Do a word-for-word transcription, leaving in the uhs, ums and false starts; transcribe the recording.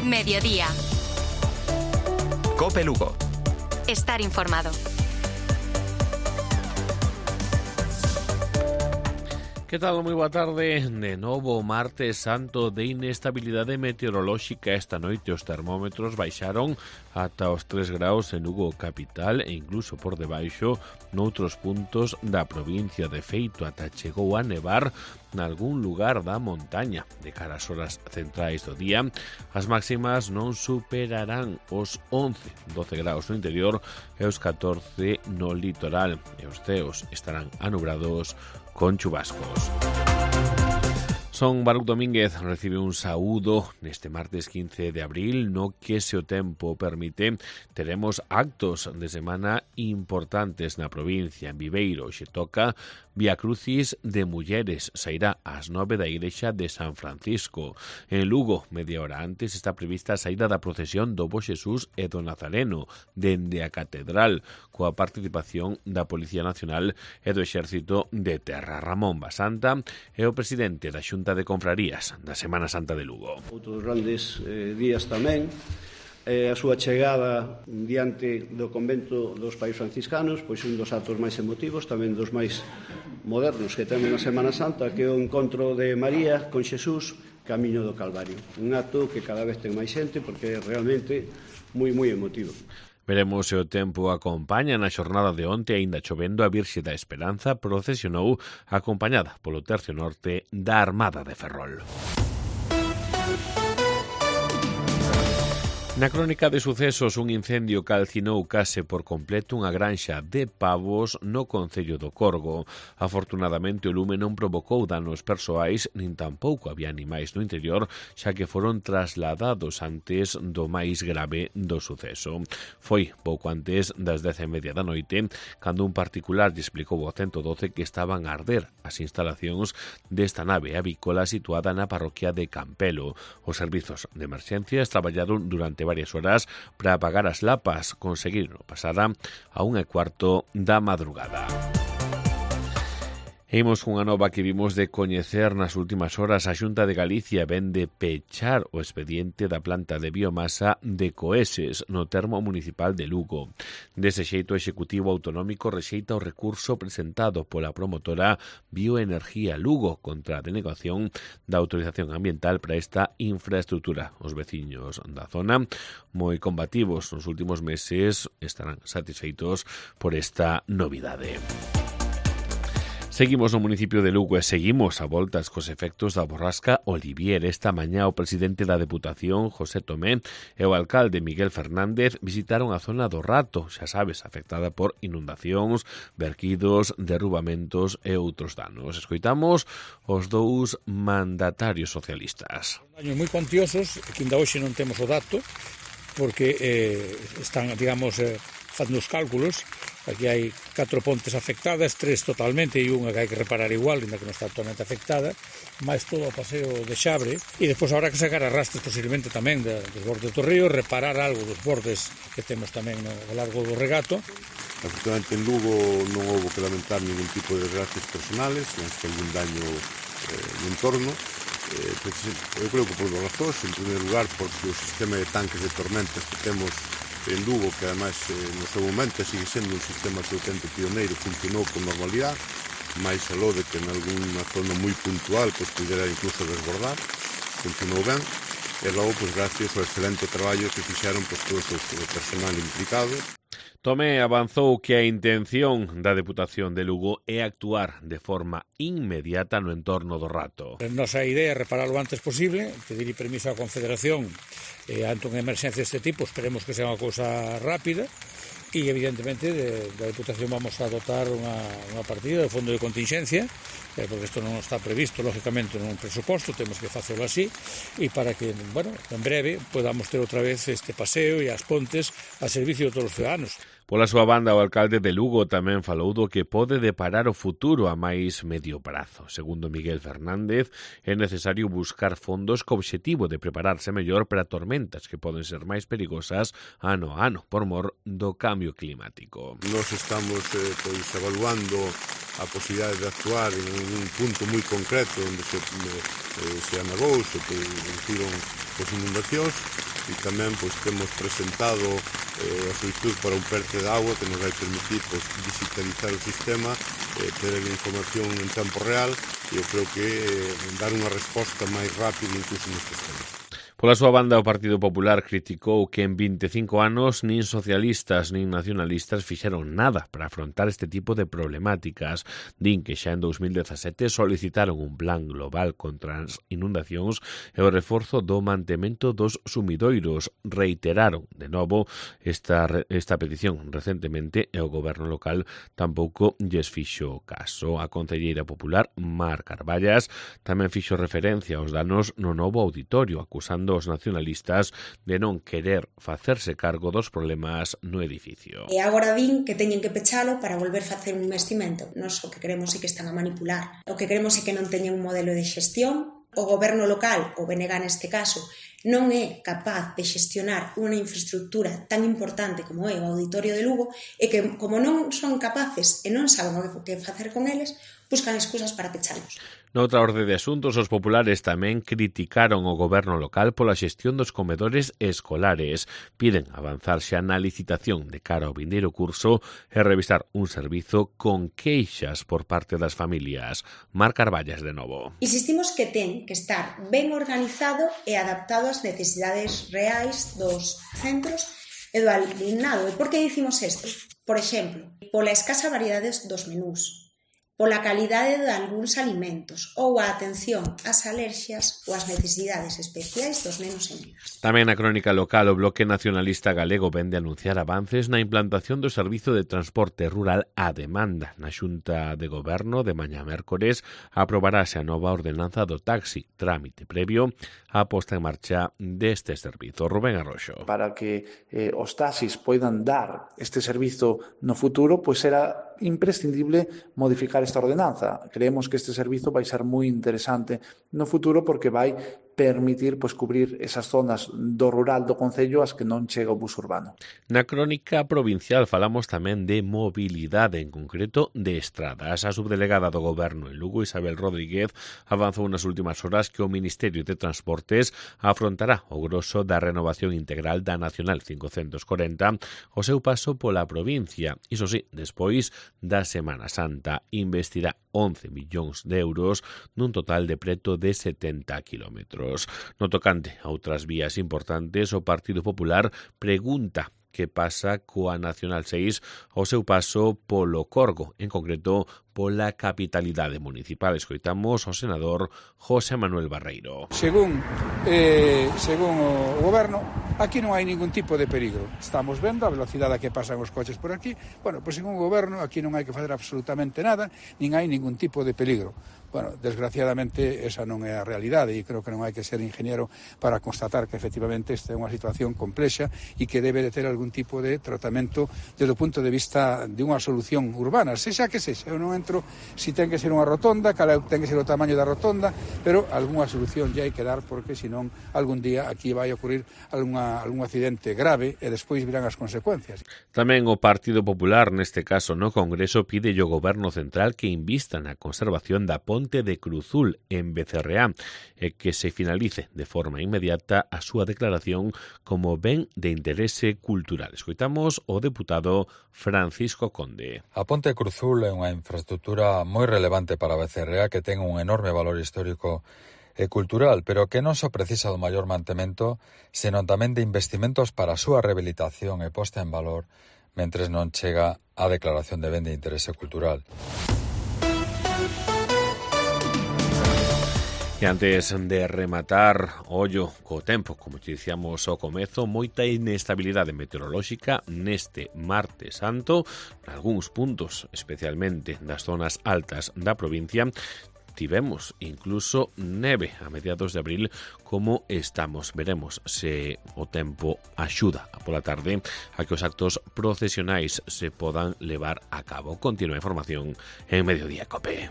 Mediodía. COPE Lugo. Estar informado. Que tal? Moi boa tarde. De novo, martes santo de inestabilidade meteorolóxica. Esta noite os termómetros baixaron ata os tres graus en Lugo capital e incluso por debaixo noutros puntos da provincia. De feito, ata chegou a nevar nalgún lugar da montaña. De cara ás horas centrais do día, as máximas non superarán os once, doce graus no interior e os catorce no litoral. E os ceos estarán anubrados con chubascos. Son Baruch Domínguez recibe un saúdo neste martes quince de abril, no que, se o tempo permite, teremos actos de semana importantes na provincia. En Viveiro xe toca Vía Crucis de Mulleres, sairá ás nove da igrexa de San Francisco. En Lugo, media hora antes, está prevista a saída da procesión do Bo Xesús e do Nazareno dende a Catedral, coa participación da Policía Nacional e do Exército de Terra. Ramón Basanta é o presidente da Xunta de Confrarías da Semana Santa de Lugo. Outros grandes eh, días tamén, eh, a súa chegada diante do convento dos Pais Franciscanos, pois un dos actos máis emotivos, tamén dos máis modernos que temos na Semana Santa, que é o encontro de María con Xesús camiño do Calvario. Un acto que cada vez ten máis xente porque é realmente moi, moi emotivo. Veremos se o tempo acompaña. Na xornada de onte, aínda chovendo, a Virxe da Esperanza procesionou acompañada polo tercio norte da Armada de Ferrol. Na crónica de sucesos, un incendio calcinou case por completo unha granxa de pavos no concello do Corgo. Afortunadamente, o lume non provocou danos persoais, nin tampouco había animais no interior, xa que foron trasladados antes do máis grave do suceso. Foi pouco antes das dez e media da noite, cando un particular lle explicou ao ciento doce que estaban a arder as instalacións desta nave avícola situada na parroquia de Campelo. Os servizos de emerxencias traballaron durante varias horas para apagar as lapas, conseguiron pasada a unha e cuarto da madrugada. E imos cunha nova que vimos de coñecer nas últimas horas. A Xunta de Galicia ven de pechar o expediente da planta de biomasa de Coeses no termo municipal de Lugo. Dese xeito, o Executivo Autonómico rexeita o recurso presentado pola promotora Bioenergía Lugo contra a denegación da autorización ambiental para esta infraestructura. Os veciños da zona, moi combativos nos últimos meses, estarán satisfeitos por esta novidade. Seguimos no municipio de Lugo e seguimos a voltas cos efectos da borrasca Olivier. Esta mañá o presidente da Deputación, José Tomé, e o alcalde Miguel Fernández visitaron a zona do Rato, xa sabes, afectada por inundacións, verquidos, derrubamentos e outros danos. Escoitamos os dous mandatarios socialistas. Años moi cuantiosos, que ainda hoxe non temos o dato, porque eh, están, digamos, eh, facendo os cálculos. Aquí hai catro pontes afectadas, tres totalmente e unha que hai que reparar igual, ainda que non está totalmente afectada, máis todo o paseo de Xabre, e despois habrá que sacar arrastres posiblemente tamén de, dos bordes do río, reparar algo dos bordes que temos tamén no largo do regato. Afortunadamente en Lugo non houve que lamentar ningún tipo de desgracias personales, non que algún daño eh, no entorno. Eh, eu creo que por dos razóns, en primeiro lugar porque o sistema de tanques de tormentas que temos en Lugo, que ademais eh, no seu momento sigue sendo un sistema absolutamente pioneiro, funcionou con normalidade, máis aló de que en algunha zona moi puntual pues, pudera incluso desbordar, funcionou ben, e logo, pues, gracias ao excelente traballo que fixeron pues, todo o personal implicado. Tomé avanzou que a intención da Deputación de Lugo é actuar de forma inmediata no entorno do Rato. A nosa idea é reparar o antes posible, pedir permiso á Confederación eh, ante unha emerxencia deste tipo, esperemos que sea unha cousa rápida, e evidentemente de, da Deputación vamos a dotar unha, unha partida de fondo de contingencia, eh, porque isto non está previsto lógicamente nun presuposto, temos que facelo así, e para que, bueno, en breve podamos ter outra vez este paseo e as pontes a servicio de todos os ciudadanos. Pola súa banda, o alcalde de Lugo tamén falou do que pode deparar o futuro a máis medio prazo. Segundo Miguel Fernández, é necesario buscar fondos co obxectivo de prepararse mellor para tormentas que poden ser máis perigosas ano a ano por mor do cambio climático. Nos estamos eh, pois, evaluando a posibilidade de actuar en un punto moi concreto onde se, eh, se anagou, se produciron as inundacións, e tamén pois, temos presentado eh, a solicitud para un PERTE de agua que nos vai permitir pois, digitalizar o sistema, eh, ter a información en tempo real e eu creo que eh, dar unha resposta máis rápida incluso nestes temas. Pola súa banda, o Partido Popular criticou que en vinte e cinco anos nin socialistas nin nacionalistas fixeron nada para afrontar este tipo de problemáticas. Din que xa en dos mil dezasete solicitaron un plan global contra as inundacións e o reforzo do mantemento dos sumidoiros. Reiteraron, de novo, esta, esta petición recentemente e o goberno local tampouco lles fixo caso. A concelleira popular, Mar Carballas, tamén fixo referencia aos danos no novo auditorio, acusando os nacionalistas de non querer facerse cargo dos problemas no edificio. E agora din que teñen que pechalo para volver a facer un investimento. Nos o que queremos é que están a manipular. O que queremos é que non teñen un modelo de xestión. O goberno local, o B N G neste caso, non é capaz de xestionar unha infraestructura tan importante como é o Auditorio de Lugo e que, como non son capaces e non saben o que facer con eles, buscan excusas para pechalos. Noutra orde de asuntos, os populares tamén criticaron o goberno local pola xestión dos comedores escolares. Piden avanzar xa na licitación de cara ao vindeiro curso e revisar un servizo con queixas por parte das familias. Mar Carballas, de novo. Insistimos que ten que estar ben organizado e adaptado ás necesidades reais dos centros e do alumnado. E por que dicimos isto? Por exemplo, pola escasa variedade dos menús, pola calidade de algúns alimentos ou a atención ás alerxias ou ás necesidades especiais dos nenos e nenas. Tamén na crónica local, o Bloque Nacionalista Galego vende anunciar avances na implantación do servizo de transporte rural á demanda. Na Xunta de Goberno de mañá mércores aprobarase a nova ordenanza do taxi, trámite previo á posta en marcha deste servizo. Rubén Arroxo. Para que eh, os taxis poidan dar este servizo no futuro, pois será imprescindible modificar esta ordenanza. Creemos que este servizo vai ser moi interesante no futuro porque vai permitir pois, cubrir esas zonas do rural do concello as que non chega o bus urbano. Na crónica provincial falamos tamén de mobilidade, en concreto de estradas. A subdelegada do Goberno en Lugo, Isabel Rodríguez, avanzou nas últimas horas que o Ministerio de Transportes afrontará o grosso da renovación integral da Nacional cincocentos corenta o seu paso pola provincia. Iso sí, despois da Semana Santa, investirá once millóns de euros nun total de preto de setenta kilómetros. No tocante a outras vías importantes, o Partido Popular pregunta que pasa coa Nacional seis ao seu paso polo Corgo, en concreto pola capitalidade municipal. Escoitamos o senador José Manuel Barreiro. Según, eh, según o goberno, aquí non hai ningún tipo de peligro. Estamos vendo a velocidade a que pasan os coches por aquí. Bueno, pois según o goberno, aquí non hai que fazer absolutamente nada, nin hai ningún tipo de peligro. Bueno, desgraciadamente esa non é a realidade e creo que non hai que ser ingeniero para constatar que efectivamente esta é unha situación complexa e que debe de ter algún tipo de tratamento desde o punto de vista de unha solución urbana, sexa que sexa. Eu non entro si ten que ser unha rotonda, cal ten que ser o tamaño da rotonda, pero algunha solución ya hai que dar porque senón algún día aquí vai ocurrir alguna, algún accidente grave e despois virán as consecuencias. Tamén o Partido Popular, neste caso no Congreso, pide ao Goberno Central que invista na conservación da Ponte de Cruzul en Becerreá e que se finalice de forma inmediata a súa declaración como ben de interese cultural. Escoitamos o deputado Francisco Conde. A Ponte Cruzul é unha infraestructura moi relevante para Becerreá que ten un enorme valor histórico e cultural, pero que non só precisa do maior mantemento, senón tamén de investimentos para a súa rehabilitación e posta en valor mentres non chega a declaración de ben de interese cultural. E antes de rematar, ollo co tempo, como te dicíamos ao comezo, moita inestabilidade meteorolóxica neste martes santo, nalgúns puntos, especialmente das zonas altas da provincia. Tivemos incluso neve a mediados de abril, como estamos. Veremos se o tempo axuda a pola tarde a que os actos procesionais se podan levar a cabo. Continúa a información en Mediodía Cope.